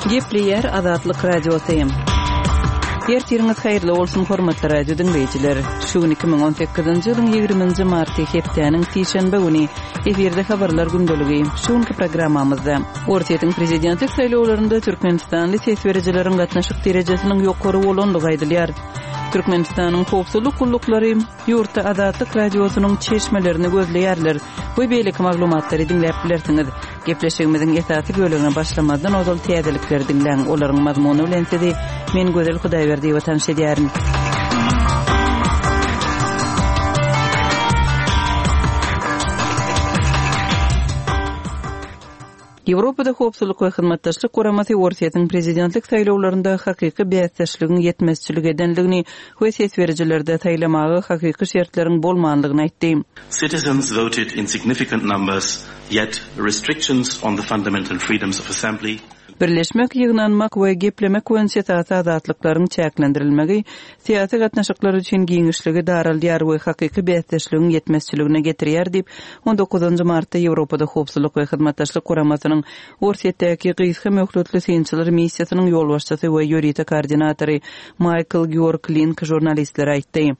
Gepleýär Azatlyk Radiosy. Ertiriňiz haýyrly bolsun, hormatly radio diňleýjiler. Şu gün 2018-nji ýylyň 20-nji marty hepdäniň sişenbe güni efirde habarlar gündeligi. Şu günki programmamyzda Orsýetiň prezidentlik saýlawlarynda türkmenistanly ses berijileriň gatnaşyk derejesiniň ýokary bolandygy aýdylýar. Türkmenistanyň howpsuzlyk gulluklary ýurtda Azatlyk Radiosynyň çeşmelerini gözleýärler we beýleki maglumatlary diňläp bilersiňiz. Gepleşigimiziň esasy bölegine başlamazdan ozal täzelikleri diňläň, olaryň mazmuny bilen sizi men Gözel Hudaýberdiýewa tanyş edýärin. Ýewropada Howpsuzlyk we Hyzmatdaşlyk Guramasy Orsýetiň prezidentlik saýlawlarynda hakyky bäsdeşligiň ýetmezçilik edendigini we ses berijilerde saýlamaga hakyky şertleriň bolmandygyny aýtdy. Citizens voted in significant numbers, yet restrictions on the fundamental freedoms of assembly, Birleşmek, ýygnanmak we geplemek boýunça esasy azatlyklaryň çäklendirilmegi syýasy gatnaşyklar üçin giňişligi daraldýar we hakyky bäsdeşligiň ýetmezçiligine getirýär diýip, on dokuzynjy martda Ýewropada Howpsuzlyk we Hyzmatdaşlyk Guramasynyň Orsýetdäki gysga möhletli synçylar missiýasynyň ýolbaşçysy we ýörite koordinatory Maýkl Georg Link žurnalistlere aýtdy.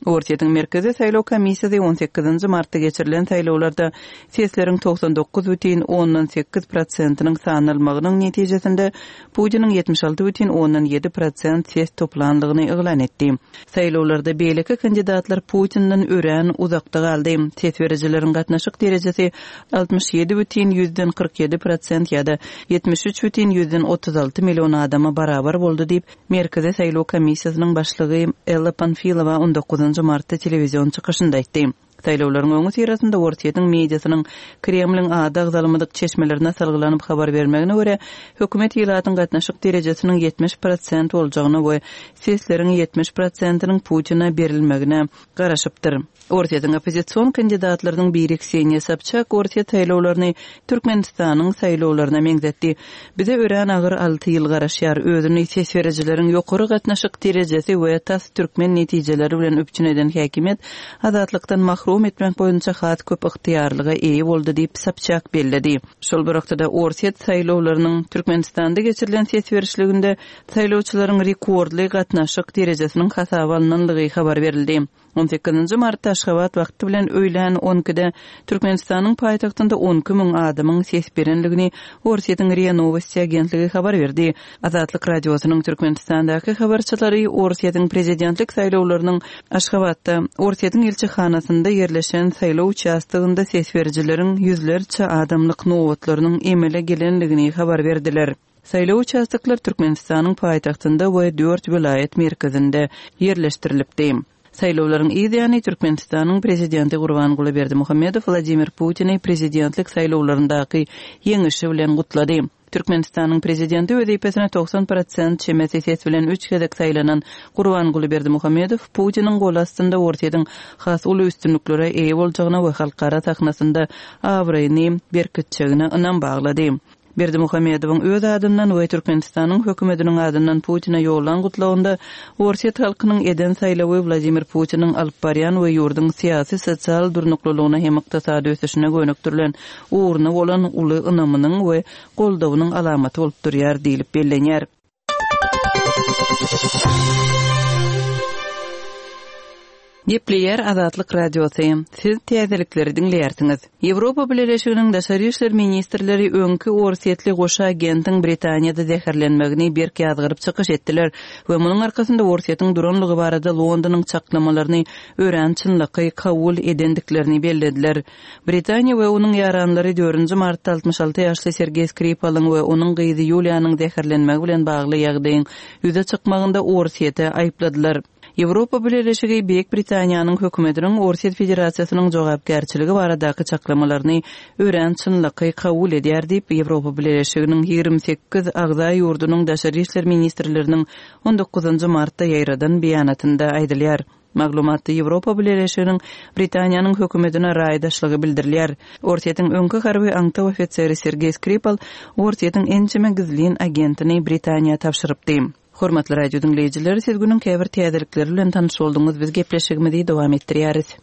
Orsýetiň Merkezi saýlaw komissiýasy on sekizinji martda geçirilen saýlawlarda sesleriň 99 bütin ondan sekiz prosentiniň sanalmagynyň netijesinde Putiniň 76 bütin ondan ýedi prosent ses toplandygyny yglan etdi. Saýlawlarda beýleki kandidatlar Putinden örän uzakda galdy. Ses berijileriň gatnaşyk derejesi 67 bütin ýüzden 47 prosent ýa-da 73 bütin ýüzden 36 million adama barabar boldy diýip, Merkezi saýlaw komissiýasynyň başlygy Ella Panfilowa on dokuzynjy martda telewizion çykyşynda aýtdy. Saýlawlaryň öňüsyrasynda Orsýetiň mediasynyň Kremliň ady agzalmadyk çeşmelerine salgylanyp habar bermegine görä, hökümet ilatyň gatnaşyk derejesiniň 70 prosent boljagyna we sesleriň 70 prosentiniň Putine berilmegine garaşypdyr. Orsýetiň oppozision kandidatlarynyň biri Kseniýa Sobçak Orsýet saýlawlaryny Türkmenistanyň saýlawlaryna meňzetdi. Bize örän agyr alty ýyl garaşýar. Özüni ses berijileriň ýokary gatnaşyk derejesi we tas türkmen netijeleri bilen üpjün eden häkimiýet azatlykdan mahrum etmek boýunça has köp ygtyýarlyga eýe boldy diýip, Sobçak belledi. Şol bir wagtda-da Orsýet saýlawlarynyň Türkmenistanda geçirilen ses berişliginde saýlawçylaryň rekordly gatnaşyk derejesiniň hasaba alnandygy habar berildi. On sekizinji martda Aşgabat wagty bilen öýlän on ikide Türkmenistanyň paýtagtynda 12 müň adamyň ses berendigini Orsýetiň RIA Nowosti agentligi habar berdi. Azatlyk Radiosynyň Türkmenistandaky habarçylary Orsýetiň prezidentlik saýlawlarynyň Aşgabatda, Orsýetiň ilçihanasynda ýerleşen saýlaw uçastogynda ses berijileriň ýüzlerçe adamlyk nobatlarynyň emele gelendigini habar berdiler. Saýlaw uçastoklar Türkmenistanyň paýtagtynda we dört welaýat merkezinde ýerleşdirilipdi. Saýlawlaryň yz ýany Türkmenistanyň Prezidenti Gurbanguly Berdimuhamedow Wladimir Putini prezidentlik saýlawlaryndaky ýeňişi bilen gutlady. Türkmenistanyň Prezidenti wezipesine 90 prosent çemesi ses bilen üç gezek saýlanan Gurbanguly Berdimuhamedow Putiniň goly astynda Orsýetiň has uly üstünliklere eýe boljagyna we halkara sahnasynda abraýyny berkitjegine ynam baglady. Berdimuhamedowyň öz adyndan we Türkmenistanyň hökümetiniň adyndan Putine ýollan gutlagynda Orsýet halkynyň eden saýlawy Wladimir Putiniň alyp barýan we ýurduň syýasy, sosial durnuklylygyna hem ykdysady ösüşine gönükdirilen ugruna bolan uly ynamynyň we goldawynyň alamaty bolup durýar diýlip bellenýär. Gepleýär Azatlyk Radiosy. Siz täzelikleri diňleýärsiňiz. Ýewropa Bileleşiginiň daşary işler ministrleri öňki orsýetli goşa agentiň Britaniýada zäherlenmegini berk ýazgaryp çykyş etdiler we munuň arkasynda Orsýetiň duranlygy barada Londonyň çaklamalaryny örän çynlakaý kabul edendiklerini bellediler. Britaniýa we onuň ýaranlary dördünji martda 66 ýaşly Sergeý Skripalyň we onuň gyzy Ýuliýanyň zäherlenmegi bilen bagly ýagdaýyň ýüze çykmagynda Orsýeti aýypladylar. Ýewropa Bileleşigi Beýik Britaniýanyň hökümetiniň Orsýet Federasiýasynyň jogapkärçiligi baradaky çaklamalaryny örän çynlakaý kabul edýär diýip, Ýewropa Bileleşiginiň 28 agza ýurdunyň daşary işler ministrleriniň on dokuzynjy martda ýaýradan beýanatynda aýdylýar. Maglumatda Ýewropa Bileleşiginiň Britaniýanyň hökümetine raýdaşlygy bildirilýär. Orsýetiň öňki harby aňtaw ofiseri Sergeý Skripal Orsýetiň ençeme gizlin agentini Britaniýa tabşyrypdy. Hormatly radio diňleýjiler, siz günüň käbir täzelikleri bilen tanyş bolduňyz, biz gepleşigimizi dowam etdirýäris.